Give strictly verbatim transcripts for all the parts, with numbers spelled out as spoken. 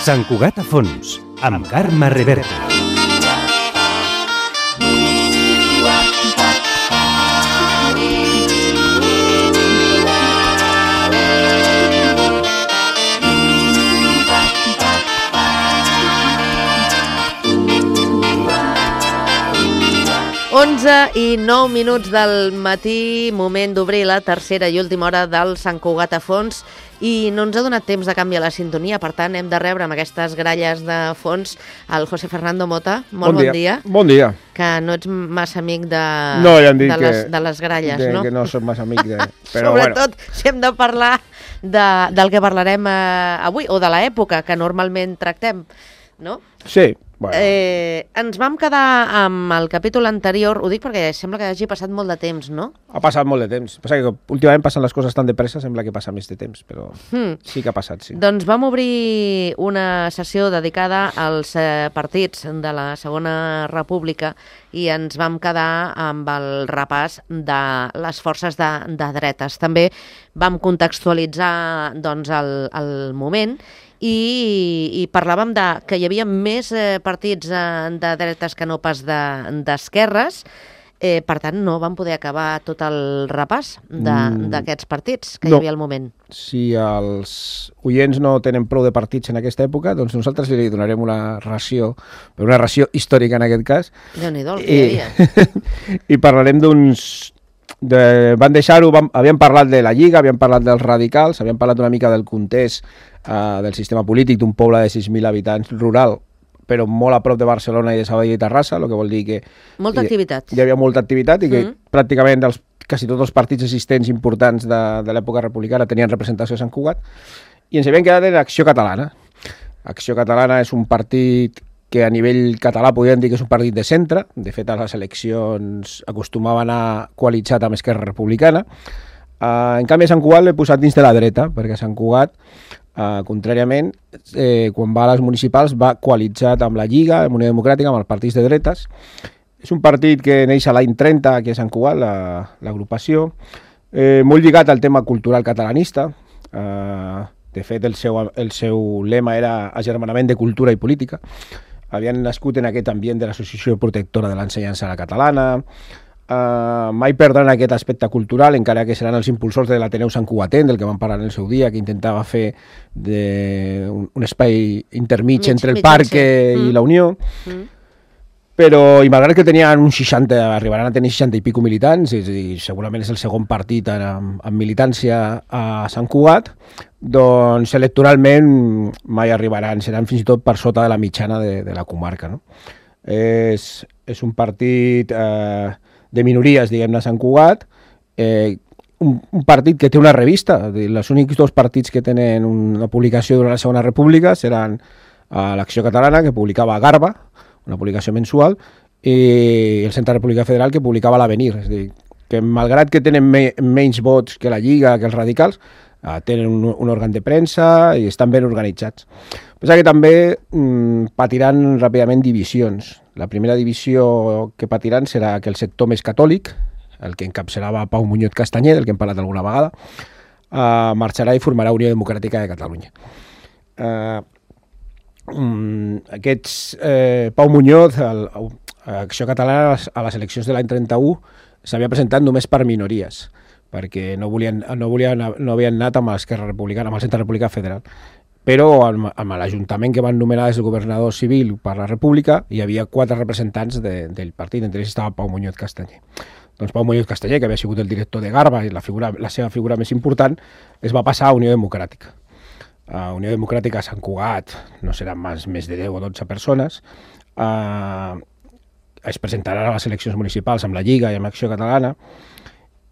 Sant Cugat a fons, amb Carme Reverta. onze i nou minuts del matí, moment d'obrir la tercera i última hora del Sant Cugat a fons, i no ens ha donat temps de canviar la sintonia, per tant hem de rebre amb aquestes gralles de fons el José Fernando Mota. Molt bon, bon dia. Bon dia. Que no ets massa amic de, no, ja de, les, de les gralles, de, no? Que no soc massa amic de... Però Sobretot bueno. si hem de parlar de, del que parlarem eh, avui, o de l'època que normalment tractem, no? Sí. Bueno. Eh, ens vam quedar amb el capítol anterior, ho dic perquè sembla que hagi passat molt de temps, no? Ha passat molt de temps. Passa que últimament passen les coses tan de pressa, sembla que passa més de temps, però hmm. sí que ha passat, sí. Doncs vam obrir una sessió dedicada als eh, partits de la Segona República i ens vam quedar amb el repàs de les forces de, de dretes. També vam contextualitzar doncs, el, el moment i, i parlàvem de que hi havia més eh, partits eh, de dretes que no pas d'esquerres, de, eh, per tant no vam poder acabar tot el repàs d'aquests mm, partits que no. hi havia al moment. Si els oients no tenen prou de partits en aquesta època, doncs nosaltres li donarem una ració, una ració històrica en aquest cas. Déu-n'hi-do, el que hi havia. I parlarem d'uns... De, van deixar-ho, havíem parlat de la Lliga, havíem parlat dels radicals, havíem parlat una mica del context uh, del sistema polític d'un poble de sis mil habitants rural, però molt a prop de Barcelona i de Sabadell i Terrassa, el que vol dir que... Molta hi, activitat. Hi havia molta activitat i que mm. pràcticament els, quasi tots els partits existents importants de, de l'època republicana tenien representació a Sant Cugat, i ens havíem quedat en Acció Catalana. Acció Catalana és un partit que a nivell català podríem dir que és un partit de centre. De fet, a les eleccions acostumava a anar coalitzat amb Esquerra Republicana. Uh, en canvi, a Sant Cugat l'he posat dins de la dreta, perquè a Sant Cugat, uh, contràriament, eh, quan va a les municipals, va coalitzat amb la Lliga, amb Unió Democràtica, amb els partits de dretes. És un partit que neix a l'any trenta, aquí a Sant Cugat, l'agrupació, la, eh, molt lligat al tema cultural catalanista. Uh, de fet, el seu, el seu lema era agermanament de cultura i política. Havien nascut en aquest ambient de l'Associació Protectora de l'Ensenyança a la Catalana, uh, mai perdran aquest aspecte cultural, encara que seran els impulsors de l'Ateneu Sant Cugatenc, del que vam parlar en el seu dia, que intentava fer de un, un espai intermig mig, entre el mig, parc sí. i mm. la Unió. Mm. Però, i malgrat que tenien uns seixanta, arribaran a tenir seixanta i pico militants, és a dir, segurament és el segon partit amb, amb militància a Sant Cugat, doncs electoralment mai arribaran, seran fins i tot per sota de la mitjana de, de la comarca. No? És, és un partit eh, de minories, diguem-ne, a Sant Cugat, eh, un, un partit que té una revista. Els únics dos partits que tenen una publicació durant la Segona República seran eh, l'Acció Catalana, que publicava Garba, una publicació mensual, i el Centre República Federal, que publicava l'Avenir. És a dir, que malgrat que tenen me, menys vots que la Lliga, que els radicals, eh, tenen un, un òrgan de premsa i estan ben organitzats. Pensa que també mm, patiran ràpidament divisions. La primera divisió que patiran serà que el sector més catòlic, el que encapçalava Pau Muñoz Castanyer, del que hem parlat alguna vegada, eh, marxarà i formarà Unió Democràtica de Catalunya. Eh, Um, aquests, eh, Pau Muñoz, el, a Acció Catalana, a les eleccions de l'any trenta-u, s'havia presentat només per minories, perquè no, volien, no, volien, no havien anat amb l'Esquerra Republicana, amb el Centre Republicà Federal. Però amb, amb l'Ajuntament que van nomenar des del governador civil per la República, hi havia quatre representants de, del partit, entre ells estava Pau Muñoz Castanyer. Doncs Pau Muñoz Castanyer, que havia sigut el director de Garba i la, figura, la seva figura més important, es va passar a Unió Democràtica. A Unió Democràtica a Sant Cugat no seran més, més de deu o dotze persones. Uh, es presentaran a les eleccions municipals amb la Lliga i amb Acció Catalana,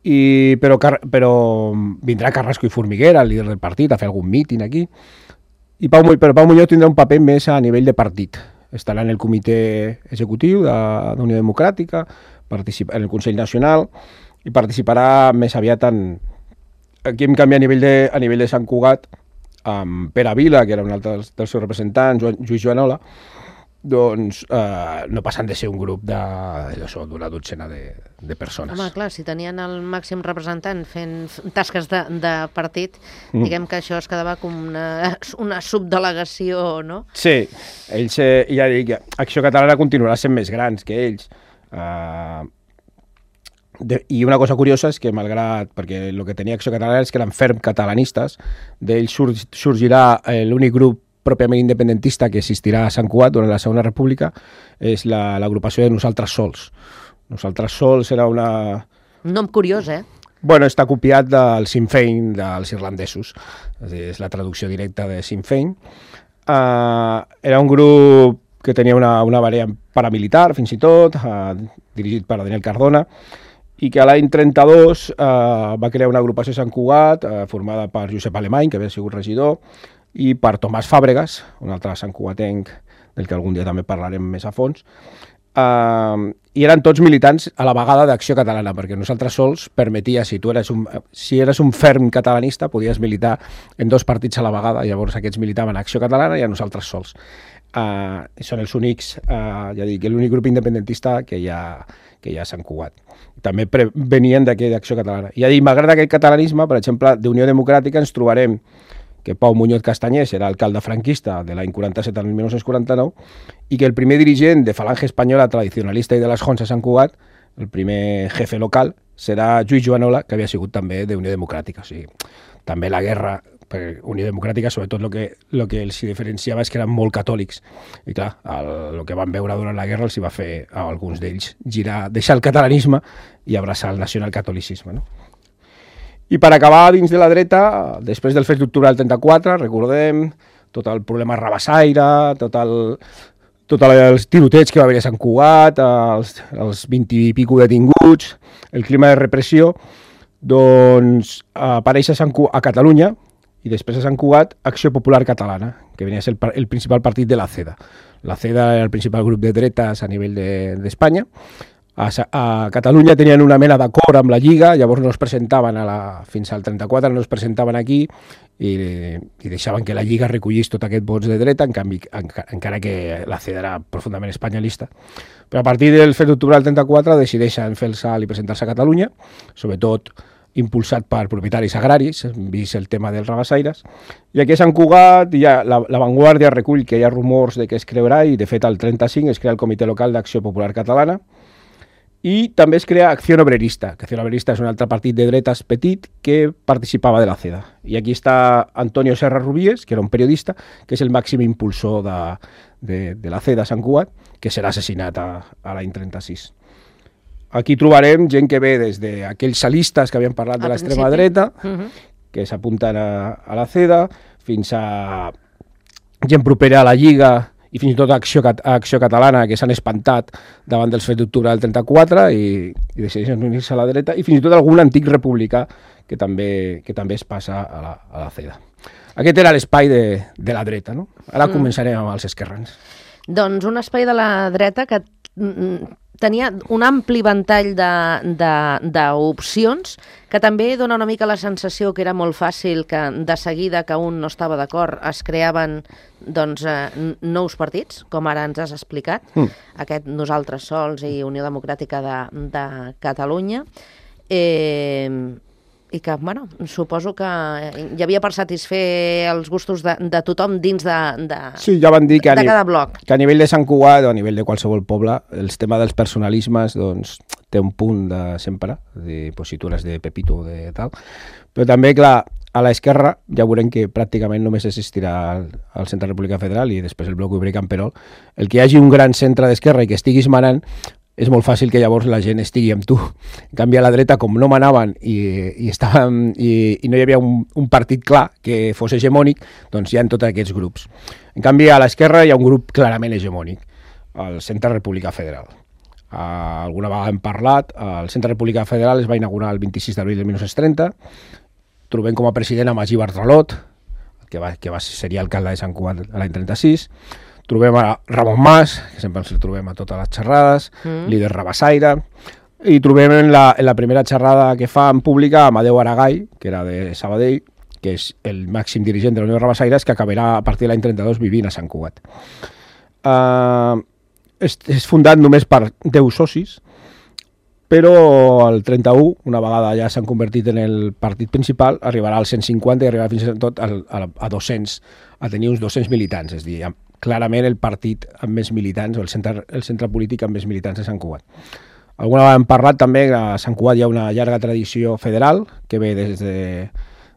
i, però, però vindrà Carrasco i Formiguera, el líder del partit, a fer algun míting aquí. I Pau, però Pau Muñoz tindrà un paper més a nivell de partit. Estarà en el comitè executiu de, de Unió Democràtica, participa en el Consell Nacional, i participarà més aviat en... Aquí hem canviat a nivell de, a nivell de Sant Cugat, amb Pere Vila, que era un altre dels, dels seus representants, Lluís Joanola, doncs eh, no passen de ser un grup d'una dotzena de, de persones. Home, clar, si tenien el màxim representant fent tasques de, de partit, mm. diguem que això es quedava com una, una subdelegació, no? Sí, ells, eh, ja dic, Acció Catalana continuarà sent més grans que ells. Eh, de, I una cosa curiosa és que, malgrat, perquè el que tenia Acció Catalana és que eren ferm catalanistes, d'ells sur, sorgirà eh, l'únic grup pròpiament independentista que existirà a Sant Cugat durant la Segona República, és l'agrupació la, de Nosaltres Sols. Nosaltres Sols era una... Un nom curiós, eh? Bueno, està copiat del Sinn Féin dels irlandesos. És, dir, és la traducció directa de Sinn Féin. Uh, era un grup que tenia una, una variant paramilitar, fins i tot, uh, dirigit per Daniel Cardona, i que a l'any trenta-dos uh, va crear una agrupació a Sant Cugat, uh, formada per Josep Alemany, que havia sigut regidor, i per Tomàs Fàbregas, un altre santcugatenc del que algun dia també parlarem més a fons, uh, i eren tots militants a la vegada d'Acció Catalana, perquè Nosaltres Sols permetia, si tu eres un, si eres un ferm catalanista, podies militar en dos partits a la vegada, llavors aquests militaven a Acció Catalana i a Nosaltres Sols. Uh, són els únics, uh, ja dic, l'únic grup independentista que hi ha, que hi ha a Sant Cugat. També pre venien d'Acció Catalana. I ja dic, malgrat aquest catalanisme, per exemple, d'Unió Democràtica ens trobarem que Pau Muñoz Castañés era alcalde franquista de l'any quaranta-set al dinou quaranta-nou i que el primer dirigent de Falange Espanyola tradicionalista i de les Jonts a Sant Cugat, el primer jefe local, serà Lluís Joanola, que havia sigut també d'Unió Democràtica. O sigui, també la guerra per Unió Democràtica, sobretot el que, lo que els diferenciava és que eren molt catòlics. I clar, el, el que van veure durant la guerra els hi va fer a alguns d'ells girar, deixar el catalanisme i abraçar el nacionalcatolicisme, no? I per acabar dins de la dreta, després del fet d'octubre del trenta-quatre, recordem tot el problema rabassaire, tot el, tot els tirotets que va haver a Sant Cugat, els, els vint i pico detinguts, el clima de repressió, doncs apareix a, Sant Cugat, a Catalunya i després a Sant Cugat Acció Popular Catalana, que venia a ser el, el principal partit de la CEDA. La CEDA era el principal grup de dretes a nivell d'Espanya. De, A, a Catalunya tenien una mena d'acord amb la Lliga, llavors no es presentaven a la, fins al trenta-quatre, no es presentaven aquí i, i deixaven que la Lliga recollís tot aquest vots de dreta, en canvi, en, encara que la CEDA era profundament espanyolista. Però a partir del fet d'octubre del trenta-quatre decideixen fer el salt i presentar-se a Catalunya, sobretot impulsat per propietaris agraris, vist el tema dels rabassaires. I aquí a Sant Cugat ja la, la Vanguardia recull que hi ha rumors de que es creurà i de fet al trenta-cinc es crea el Comitè Local d'Acció Popular Catalana. I també es crea Acció Obrerista, que Acció Obrerista és un altre partit de dretes petit que participava de la CEDA. I aquí està Antonio Serra Rubies, que era un periodista, que és el màxim impulsor de, de, de la CEDA a Sant Cugat, que serà assassinat a, a l'any trenta-sis. Aquí trobarem gent que ve des d'aquells salistes que havien parlat de l'extrema dreta, uh -huh. que s'apunten a, a la CEDA, fins a gent propera a la Lliga i fins i tot a Acció, a Acció Catalana, que s'han espantat davant dels fets d'octubre del trenta-quatre i, i decideixen unir-se a la dreta, i fins i tot algun antic republicà que també, que també es passa a la, a la CEDA. Aquest era l'espai de, de la dreta, no? Ara mm. començarem amb els esquerrans. Doncs un espai de la dreta que tenia un ampli ventall d'opcions, que també dona una mica la sensació que era molt fàcil que de seguida que un no estava d'acord es creaven doncs, eh, nous partits, com ara ens has explicat, mm. aquest Nosaltres Sols i Unió Democràtica de, de Catalunya, eh, i que, bueno, suposo que hi havia per satisfer els gustos de, de tothom dins de, de, sí, ja van dir que a, de cada bloc. Que a nivell de Sant Cugat o a nivell de qualsevol poble, el tema dels personalismes doncs, té un punt de sempre, de positures de Pepito o de tal, però també, clar, a l'esquerra ja veurem que pràcticament només existirà el, el Centre República Federal i després el Bloc Obrer i Camperol. El que hi hagi un gran centre d'esquerra i que estiguis manant, és molt fàcil que llavors la gent estigui amb tu. En canvi, a la dreta, com no manaven i, i, estaven, i, i no hi havia un, un partit clar que fos hegemònic, doncs hi ha tots aquests grups. En canvi, a l'esquerra hi ha un grup clarament hegemònic, el Centre República Federal. Uh, alguna vegada hem parlat, el Centre República Federal es va inaugurar el vint-i-sis d'abril de mil nou-cents trenta, trobem com a president a Magí Bartralot, que, va, que va, seria alcalde de Sant Cugat l'any trenta-sis, trobem a Ramon Mas, que sempre ens el trobem a totes les xerrades, mm. líder rabassaire, i trobem en la, en la primera xerrada que fa en pública Amadeu Aragall, que era de Sabadell, que és el màxim dirigent de la Unió de Rabassaires, que acabarà a partir de l'any trenta-dos vivint a Sant Cugat. Uh, és, és fundat només per deu socis, però el trenta-u, una vegada ja s'han convertit en el partit principal, arribarà als cent cinquanta i arribarà fins i tot al, a, a dos-cents, a tenir uns dos-cents militants, és a dir, clarament el partit amb més militants, o el centre, el centre polític amb més militants de Sant Cugat. Alguna vegada hem parlat també que a Sant Cugat hi ha una llarga tradició federal que ve des, de,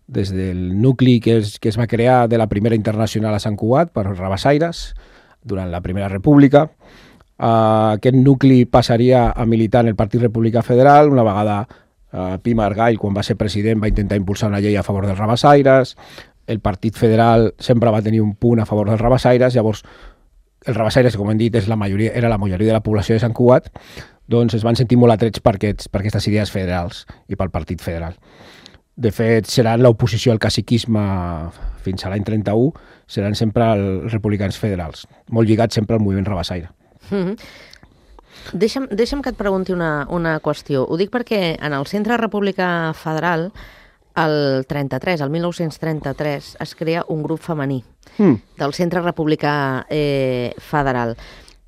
des del nucli que es, que es va crear de la primera internacional a Sant Cugat per rabassaires durant la Primera República. Uh, aquest nucli passaria a militar en el Partit Republicà Federal. Una vegada uh, Pi Margall, quan va ser president, va intentar impulsar una llei a favor dels rabassaires. El Partit Federal sempre va tenir un punt a favor dels rabassaires. Llavors, els rabassaires, com hem dit, és la majoria, era la majoria de la població de Sant Cugat, doncs es van sentir molt atrets per, aquests, per aquestes idees federals i pel Partit Federal. De fet, seran l'oposició al caciquisme fins a l'any trenta-u, seran sempre els republicans federals, molt lligats sempre al moviment rabassaire. Mm-hmm. Deixa'm, deixa'm que et pregunti una, una qüestió. Ho dic perquè en el Centre Republicà Federal, el trenta-tres, el mil nou-cents trenta-tres, es crea un grup femení mm. del Centre Republicà eh, Federal.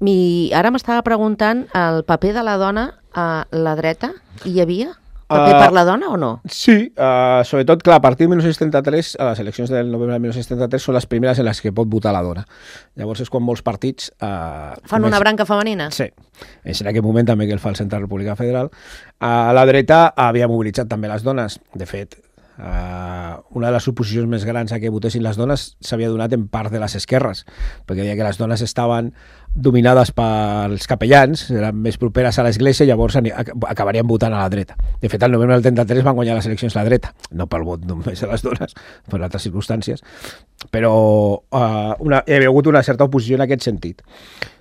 I ara m'estava preguntant el paper de la dona a la dreta. Hi havia paper uh, per la dona o no? Sí, uh, sobretot, clar, a partir de mil nou-cents trenta-tres, a les eleccions del novembre de mil nou-cents trenta-tres són les primeres en les que pot votar la dona. Llavors és quan molts partits... Uh, Fan comencen... una branca femenina? Sí, és en aquest moment també que el fa el Centre Republicà Federal. Uh, a la dreta havia mobilitzat també les dones. De fet, Uh, una de les oposicions més grans a que votessin les dones s'havia donat en part de les esquerres, perquè deia que les dones estaven dominades pels capellans, eren més properes a l'església, i llavors acabarien votant a la dreta. De fet, el novembre del trenta-tres van guanyar les eleccions a la dreta, no pel vot només a les dones, per altres circumstàncies, però uh, una, hi havia hagut una certa oposició en aquest sentit.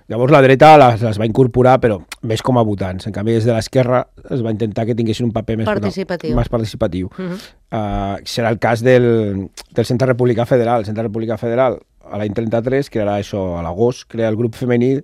Llavors la dreta les, les va incorporar, però més com a votants. En canvi, des de l'esquerra es va intentar que tinguessin un paper més participatiu. No, més participatiu. Uh -huh. uh, serà el cas del, del Centre Republicà Federal. El Centre Republicà Federal, a l'any trenta-tres, crearà això a l'agost, crea el grup femení,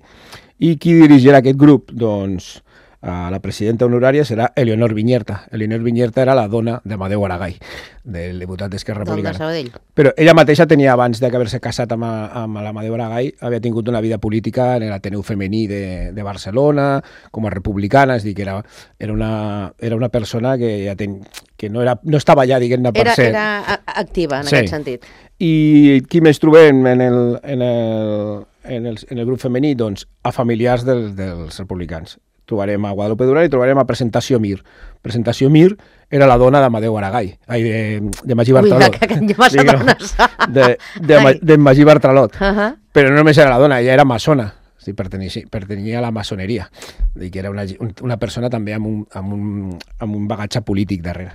i qui dirigirà aquest grup? Doncs uh, la presidenta honorària serà Eleonor Viñerta. Eleonor Viñerta era la dona d'Amadeu Aragall, del diputat d'Esquerra Republicana. Del de Sabadell. Però ella mateixa tenia, abans d'haver-se casat amb, amb l'Amadeu Aragall, havia tingut una vida política en l'Ateneu Femení de, de Barcelona, com a republicana, és a dir, que era, era, una, era una persona que, ja ten, que no, era, no estava allà, diguem-ne, per era, ser... Era activa, en sí. aquest sentit. I qui més trobem en el, en el, en el, en el grup femení? Doncs a familiars dels, dels republicans. Trobarem a Guadalupe Duran i trobarem a Presentació Mir. Presentació Mir era la dona d'Amadeu Aragall, ai, de, de Magí Bartralot. Ui, que massa dones. De, de, de Magí Bartralot. Uh -huh. Però no només era la dona, ella era maçona, sí, pertanyia, pertanyia a la maçoneria, i que era una, una persona també amb un, amb, un, amb un bagatge polític darrere.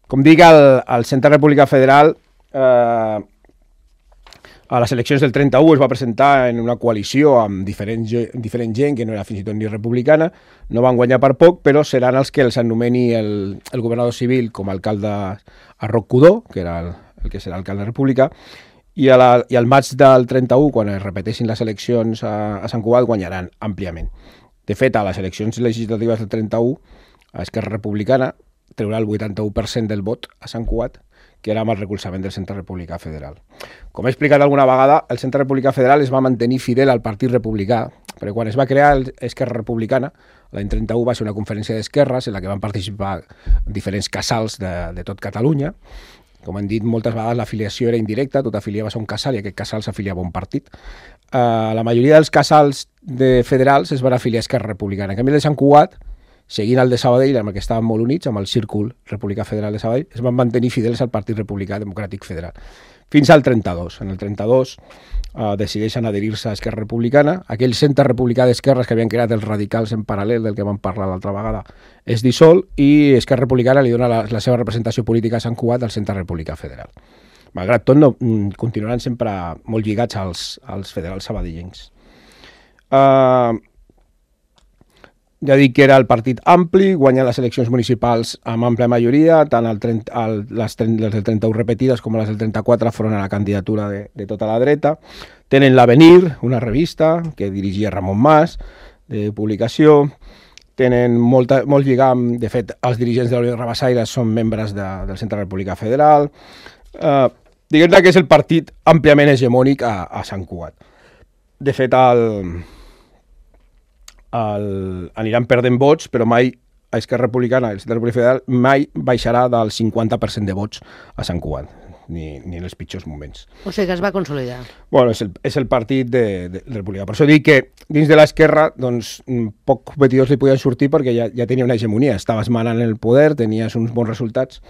Com dic, el, el Centre Republicà Federal eh, a les eleccions del trenta-u es va presentar en una coalició amb diferent, diferent gent que no era fins i tot ni republicana, no van guanyar per poc, però seran els que els anomeni el, el governador civil com a alcalde a Roc Codó, que era el, el que serà alcalde republicà, i, a la, i al maig del trenta-u, quan es repeteixin les eleccions a, a Sant Cugat, guanyaran àmpliament. De fet, a les eleccions legislatives del trenta-u, a Esquerra Republicana treurà el vuitanta-u per cent del vot a Sant Cugat, que era amb el recolzament del Centre Republicà Federal. Com he explicat alguna vegada, el Centre Republicà Federal es va mantenir fidel al Partit Republicà, perquè quan es va crear Esquerra Republicana, l'any trenta-u va ser una conferència d'esquerres en la que van participar diferents casals de, de tot Catalunya. Com hem dit, moltes vegades l'afiliació era indirecta, tot afiliaves a un casal i aquest casal s'afiliava a un partit. Uh, la majoria dels casals de federals es van afiliar a Esquerra Republicana. En canvi, el de Sant Cugat, seguint el de Sabadell, amb el que estaven molt units, amb el Círcul Republicà Federal de Sabadell, es van mantenir fidels al Partit Republicà Democràtic Federal. Fins al trenta-dos. En el trenta-dos eh, decideixen adherir-se a Esquerra Republicana. Aquell centre republicà d'esquerres que havien creat els radicals en paral·lel, del que vam parlar l'altra vegada, es dissol i Esquerra Republicana li dona la, la seva representació política a Sant Cugat al Centre Republicà Federal. Malgrat tot, no, continuaran sempre molt lligats als, als federals sabadellencs. Eh... Uh, Ja dic que era el partit ampli, guanya les eleccions municipals amb àmplia majoria, tant el trenta, el, les, les del trenta-u repetides com les del trenta-quatre foren a la candidatura de, de tota la dreta. Tenen l'Avenir, una revista que dirigia Ramon Mas, de publicació. Tenen molta, molt lligam, de fet, els dirigents de la Unió de Rabassaires són membres de, del Centre Republicà Federal. Eh, Diguem-ne que és el partit àmpliament hegemònic a, a Sant Cugat. de fet, el, el, aniran perdent vots, però mai a Esquerra Republicana, el Centre Republicà Federal, mai baixarà del cinquanta per cent de vots a Sant Cugat. Ni, ni en els pitjors moments. O sigui que es va consolidar. Bueno, és el, és el partit de, de, de Republicà. Per això dic que dins de l'esquerra doncs, poc competidors li podien sortir perquè ja, ja tenia una hegemonia. Estaves manant el poder, tenies uns bons resultats.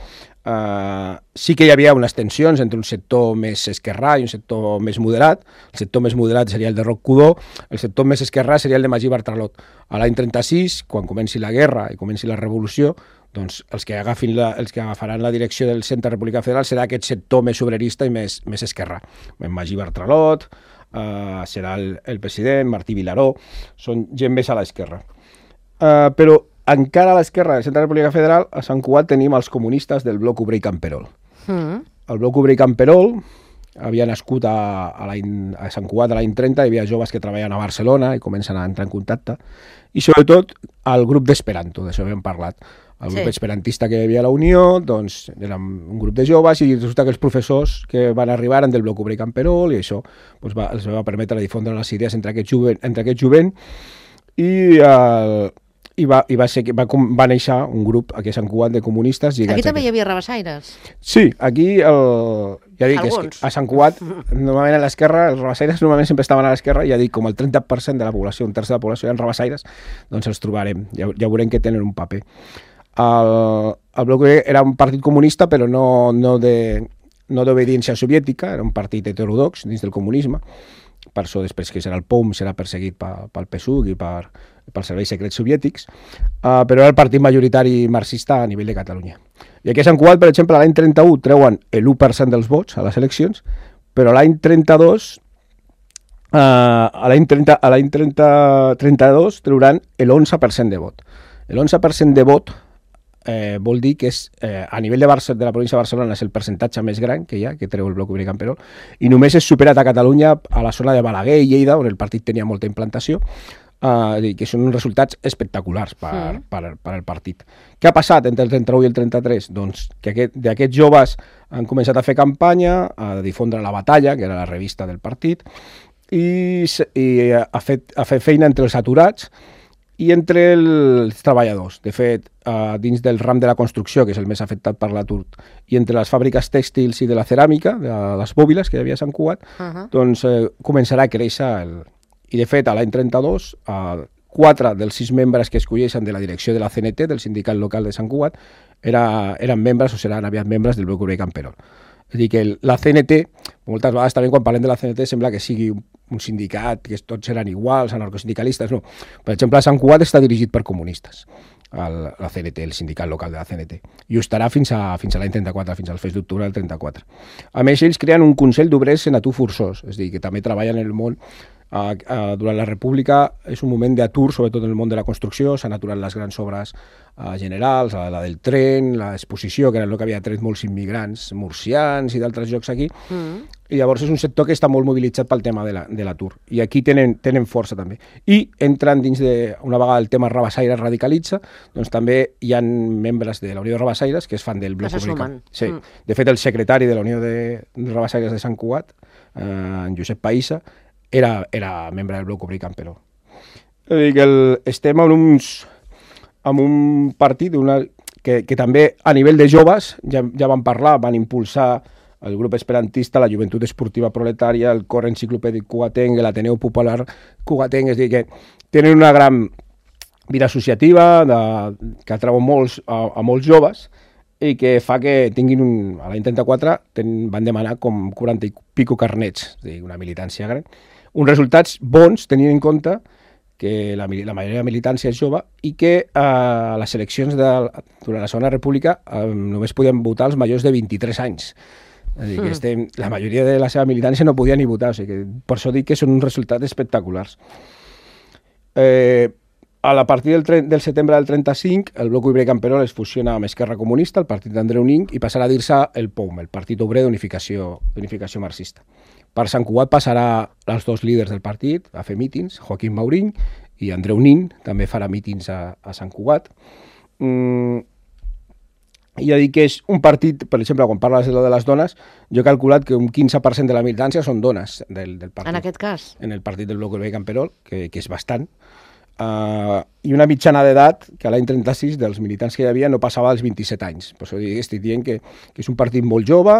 Uh, sí que hi havia unes tensions entre un sector més esquerrà i un sector més moderat. El sector més moderat seria el de Roc Cudó, el sector més esquerrà seria el de Magí Bartralot. A l'any trenta-sis, quan comenci la guerra i comenci la revolució, doncs els que, agafin la, els que agafaran la direcció del Centre Republicà Federal serà aquest sector més obrerista i més, més esquerrà. Magí Bartralot, uh, serà el, el president, Martí Vilaró, són gent més a l'esquerra. Uh, però encara a l'esquerra del Centre Republicà Federal, a Sant Cugat tenim els comunistes del bloc obrer i camperol. Mm. El bloc obrer i camperol havia nascut a, a, a Sant Cugat a l'any trenta, hi havia joves que treballen a Barcelona i comencen a entrar en contacte, i sobretot el grup d'Esperanto, d'això havíem parlat. El grup sí. esperantista que hi havia a la Unió, doncs era un grup de joves i resulta que els professors que van arribar eren del bloc obrer i camperol i això doncs, va, els va permetre difondre les idees entre aquest jovent, entre aquest jovent i, uh, i, va, i va, ser, va, va néixer un grup aquí a Sant Cugat de comunistes. Aquí també hi havia rabassaires? Sí, aquí el, ja dic, és que a Sant Cugat normalment a l'esquerra, els rabassaires normalment sempre estaven a l'esquerra, ja dic, com el trenta per cent de la població, un terç de la població eren rabassaires, doncs els trobarem, ja, ja veurem que tenen un paper. El, el bloc era un partit comunista però no, no de no d'obediència soviètica, era un partit heterodox dins del comunisme, per això després que serà el P O M serà perseguit pel P S U C i per, pels serveis secrets soviètics, uh, però era el partit majoritari marxista a nivell de Catalunya. I aquí a Sant Cugat, per exemple, l'any trenta-u treuen l'u per cent dels vots a les eleccions, però l'any trenta-dos uh, a l'any trenta, a l'any trenta-dos trauran l'onze per cent de vot. L'onze per cent de vot Eh, vol dir que és, eh, a nivell de, Barça, de la província de Barcelona és el percentatge més gran que hi ha, que treu el bloc obrer i camperol, i només és superat a Catalunya a la zona de Balaguer i Lleida, on el partit tenia molta implantació, eh, que són uns resultats espectaculars per, mm. per, per al partit. Què ha passat entre el trenta-u i el trenta-tres? Doncs que aquest, d'aquests joves han començat a fer campanya, a difondre La Batalla, que era la revista del partit, i, i ha, fet, ha fet feina entre els aturats i entre els treballadors. De fet, uh, dins del ram de la construcció, que és el més afectat per l'atur, i entre les fàbriques tèxtils i de la ceràmica, de les bòbiles que hi havia a Sant Cugat, uh -huh. doncs eh, començarà a créixer. El... I de fet, a l'any trenta-dos, uh, quatre dels sis membres que escolleixen de la direcció de la C N T, del sindicat local de Sant Cugat, era, eren membres o seran aviat membres del bloc obrer i camperol. És a dir, que la C N T, moltes vegades també quan parlem de la C N T sembla que sigui un, un sindicat, que tots seran iguals, anarcosindicalistes, no. Per exemple, a Sant Cugat està dirigit per comunistes, el, la C N T, el sindicat local de la C N T, i ho estarà fins a, fins a l'any trenta-quatre, fins al fes d'octubre del trenta-quatre. A més, ells creen un Consell d'Obrers en atur forçós, és a dir, que també treballen en el món. Uh, uh, durant la República és un moment d'atur, sobretot en el món de la construcció, s'han aturat les grans obres uh, generals, la, la del tren, l'exposició, que era el que havia tret molts immigrants murcians i d'altres llocs aquí, mm. i llavors és un sector que està molt mobilitzat pel tema de l'atur, la, i aquí tenen, tenen força també. I entren dins de, una vegada el tema Rabassaires radicalitza, doncs també hi ha membres de la Unió de Rabassaires que es fan del bloc obrer. Sí. Mm. De fet, el secretari de la Unió de, de Rabassaires de Sant Cugat, uh, en Josep Païssa, Era, era membre del bloc obrer i camperol. És a dir, que el, estem en, uns, en un partit una, que, que també a nivell de joves ja, ja van parlar, van impulsar el grup esperantista, la Joventut Esportiva Proletària, el Cor Enciclopèdic Cugatenc, l'Ateneu Popular Cugatenc, és a dir, que tenen una gran vida associativa de, que atrau molts, a, a molts joves i que fa que tinguin, un, a l'any trenta-quatre ten, van demanar com quaranta i pico carnets, és a dir, una militància gran. Uns resultats bons, tenint en compte que la, la majoria de la militància és jove i que a eh, les eleccions de, durant la Segona República eh, només podien votar els majors de vint-i-tres anys. És a dir, que estem, la majoria de la seva militància no podia ni votar, o sigui que per això dic que són uns resultats espectaculars. Eh, a la partir del, del setembre del trenta-cinc, el bloc obrer camperol es fusiona amb Esquerra Comunista, el partit d'Andreu Nin, i passarà a dir-se el P O M, el Partit Obrer d'Unificació Marxista. Per Sant Cugat passarà els dos líders del partit a fer mítings, Joaquim Maurín i Andreu Nin, també farà mítings a, a Sant Cugat. Mm, I ja dic que és un partit, per exemple, quan parles de lo de les dones, jo he calculat que un quinze per cent de la militància són dones del, del partit. En aquest cas? En el partit del Bloc Urbà i Camperol, que, que és bastant. Uh, I una mitjana d'edat, que a l'any trenta-sis, dels militants que hi havia, no passava dels vint-i-set anys. Per això estic dient que, que és un partit molt jove,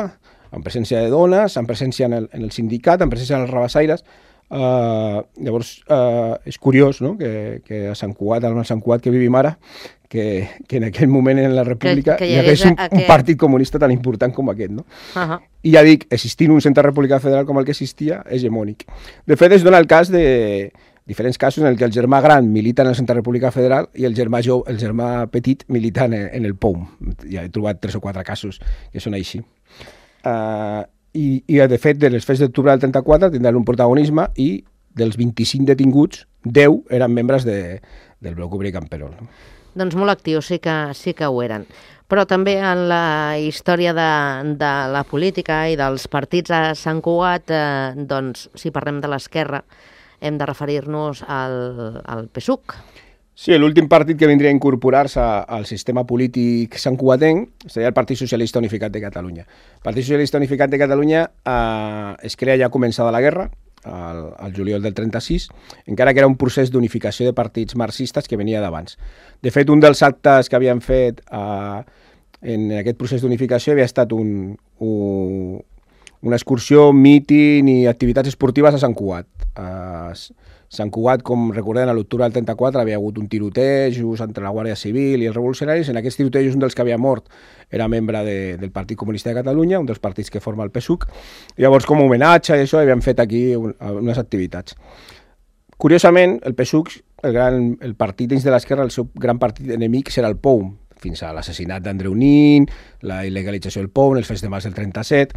amb presència de dones, amb presència en el, en el sindicat, amb presència en els rabassaires. Uh, llavors, uh, és curiós, no?, que, que a Sant Cugat, al Sant Cugat que vivim ara, que, que en aquell moment en la República que, que hi, hi hagués un, aquest... un partit comunista tan important com aquest, no? Uh -huh. I ja dic, existint un centre republicà federal com el que existia, hegemònic. De fet, es dona el cas de diferents casos en el que el germà gran milita en el centre republicà federal i el germà, jo, el germà petit milita en, en el P O M. Ja he trobat tres o quatre casos que són així. Uh, i, I, de fet, de les fets d'octubre del trenta-quatre tindran un protagonisme i dels vint-i-cinc detinguts, deu eren membres de, del Bloc Obrer i Camperol. Doncs molt actius, sí que, sí que ho eren. Però també en la història de, de la política i dels partits a Sant Cugat, eh, doncs, si parlem de l'esquerra, hem de referir-nos al, al P SUC. Sí, l'últim partit que vindria a incorporar-se al sistema polític santcugatenc seria el Partit Socialista Unificat de Catalunya. El Partit Socialista Unificat de Catalunya eh, es crea ja començada la guerra, al, al juliol del trenta-sis, encara que era un procés d'unificació de partits marxistes que venia d'abans. De fet, un dels actes que havien fet eh, en aquest procés d'unificació havia estat un, un, una excursió, míting i activitats esportives a Sant Cugat. A Sant Cugat, com recordem, a l'octubre del trenta-quatre havia hagut un tiroteig entre la Guàrdia Civil i els revolucionaris. En aquests tirotejos un dels que havia mort era membre de, del Partit Comunista de Catalunya, un dels partits que forma el P SUC. Llavors, com a homenatge i això, havien fet aquí un, unes activitats. Curiosament, el P SUC, el, gran, el partit dins de l'esquerra, el seu gran partit enemic serà el P O M, fins a l'assassinat d'Andreu Nin, la il·legalització del P O M, els fets de març del trenta-set.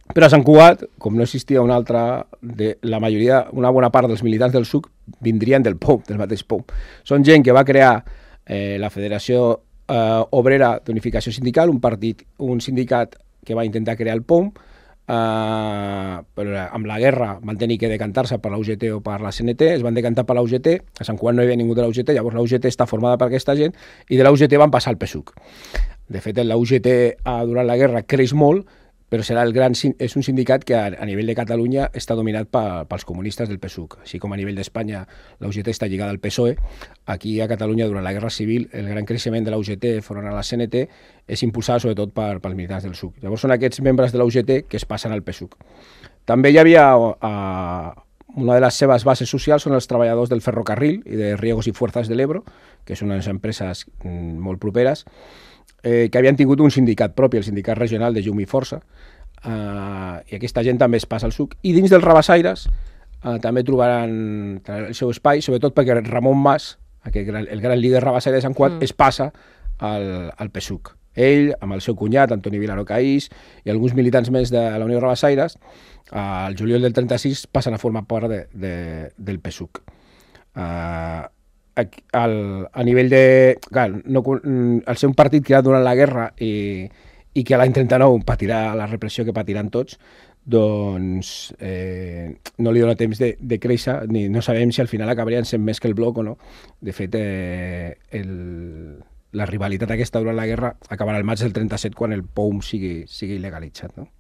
Però a Sant Cugat, com no existia una altra, de, la majoria, una bona part dels militants del SUC vindrien del P O M, del mateix P O M. Són gent que va crear eh, la Federació eh, Obrera d'Unificació Sindical, un partit, un sindicat que va intentar crear el P O M, eh, però amb la guerra van tenir que decantar-se per la U G T o per la C N T, es van decantar per la U G T, a Sant Cugat no hi havia ningú de la U G T, llavors la U G T està formada per aquesta gent, i de la U G T van passar al P SUC. De fet, la U G T durant la guerra creix molt, però serà el gran, és un sindicat que a, a nivell de Catalunya està dominat pa, pels comunistes del P SUC. Així com a nivell d'Espanya la U G T està lligada al P S O E, aquí a Catalunya durant la Guerra Civil el gran creixement de la U G T front a la C N T és impulsat sobretot per, pels militants del SUC. Llavors són aquests membres de la U G T que es passen al P SUC. També hi havia a, una de les seves bases socials són els treballadors del ferrocarril i de Riegos i Fuerzas del Ebro, que són unes empreses mm, molt properes, Eh, que havien tingut un sindicat propi, el sindicat regional de Llum i Força, eh, i aquesta gent també es passa al SUC. I dins dels rabassaires eh, també trobaran el seu espai, sobretot perquè Ramon Mas, aquest gran, el gran líder rabassaire de Sant Cugat, mm. es passa al, al P SUC. Ell, amb el seu cunyat, Antoni Vilaró Caís, i alguns militants més de la Unió Rabassaires, eh, al juliol del trenta-sis passen a formar part de, de, del P SUC. Eh, Al, a nivell de... Clar, no, al ser un partit creat durant la guerra i, i que a l'any trenta-nou patirà la repressió que patiran tots, doncs eh, no li dona temps de, de créixer, ni no sabem si al final acabarien sent més que el bloc o no. De fet, eh, el, la rivalitat aquesta durant la guerra acabarà el maig del trenta-set quan el P O M sigui, sigui il·legalitzat, no?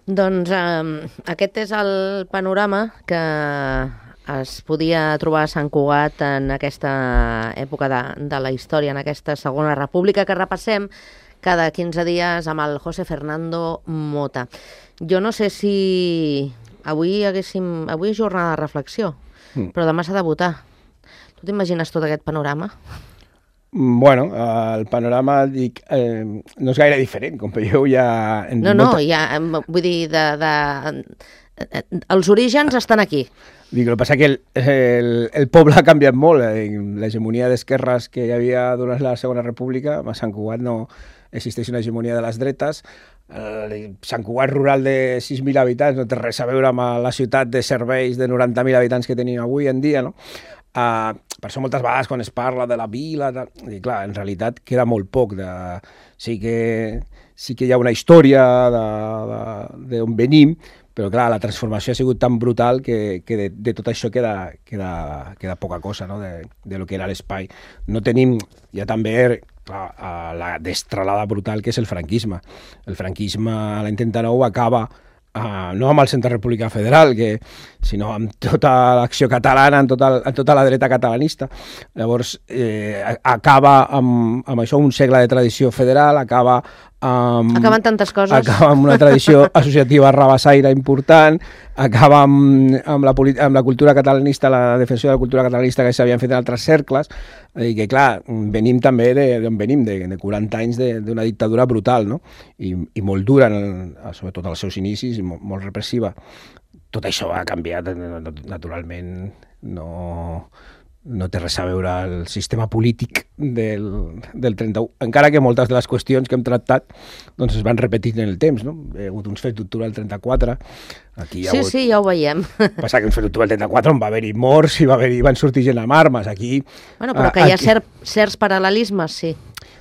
Doncs eh, aquest és el panorama que es podia trobar a Sant Cugat en aquesta època de, de la història, en aquesta segona república que repassem cada quinze dies amb el José Fernando Mota. Jo no sé si avui haguéssim... Avui és jornada de reflexió, mm. però demà s'ha de votar. Tu t'imagines tot aquest panorama? Bueno, el panorama, dic, eh, no és gaire diferent, com veieu ja... No, no, molta... ja, vull dir, de, de... els orígens estan aquí. Dic, el que passa que el, el, el poble ha canviat molt. L'hegemonia d'esquerres que hi havia durant la Segona República, a Sant Cugat no existeix una hegemonia de les dretes. El Sant Cugat rural de sis mil habitants no té res a veure amb la ciutat de serveis de noranta mil habitants que tenim avui en dia, no? Uh, per això moltes vegades quan es parla de la vila, de... I clar, en realitat queda molt poc. De... Sí, que, sí que hi ha una història d'on venim, però clar, la transformació ha sigut tan brutal que, que de, de tot això queda, queda, queda poca cosa, no? de, de lo que era l'espai. No tenim, ja també clar, la destralada brutal que és el franquisme. El franquisme a l'any trenta-nou acaba Uh, no amb el Centre Republicà Federal, que, sinó amb tota l'acció catalana, amb tota, amb tota la dreta catalanista. Llavors, eh, acaba amb, amb això un segle de tradició federal, acaba amb... Acaben tantes coses. Acaba amb una tradició associativa rabassaire important, acaba amb, amb, la, amb la cultura catalanista, la defensió de la cultura catalanista que s'havien fet en altres cercles, i que, clar, venim també d'on venim, de, de quaranta anys d'una dictadura brutal, no? I, i molt dura, en, sobretot als seus inicis, molt, molt repressiva. Tot això ha canviat, naturalment, no, no té res a veure el sistema polític del, del trenta-u, encara que moltes de les qüestions que hem tractat doncs es van repetint en el temps, no? Hi ha hagut uns fets d'octubre del trenta-quatre. Aquí hi ha sí, hagut... sí, ja ho veiem. Passa que uns fets d'octubre del trenta-quatre on va haver-hi morts i va haver van sortir gent amb armes. Aquí... Bueno, però que hi ha cert, certs paral·lelismes, sí.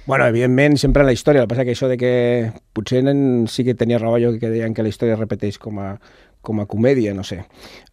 Bueno, evidentment, sempre en la història. El que passa que això de que potser en, sí que tenia raó jo que deien que la història es repeteix com a, com a comèdia, no sé.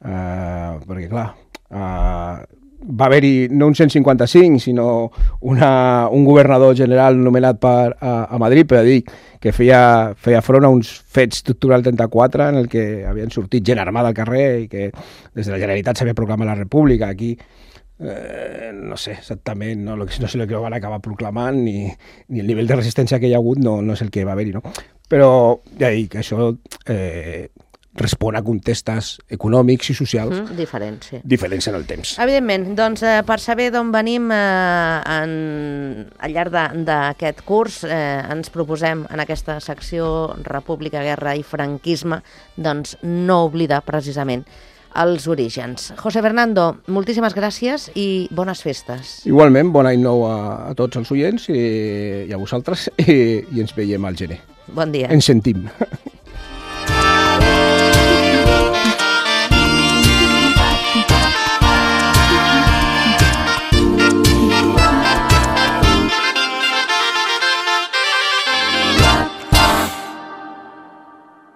Uh, perquè, clar... Uh, va haver-hi no un cent cinquanta-cinc, sinó una, un governador general nomenat per, a, a Madrid, però dic que feia, feia front a uns fets d'octubre del trenta-quatre en el que havien sortit gent armada al carrer i que des de la Generalitat s'havia proclamat la República. Aquí eh, no sé exactament, no, no sé el que van acabar proclamant ni, ni el nivell de resistència que hi ha hagut no, no és el que va haver-hi, no? Però ja dic, això... Eh, respon a contextes econòmics i socials mm, diferents, sí. diferents en el temps. Evidentment, doncs eh, per saber d'on venim eh, en, al llarg d'aquest curs eh, ens proposem en aquesta secció República, Guerra i Franquisme doncs no oblidar precisament els orígens. José Fernando, moltíssimes gràcies i bones festes. Igualment, bon any nou a, a tots els oients i, i a vosaltres i, i ens veiem al gener. Bon dia. Ens sentim.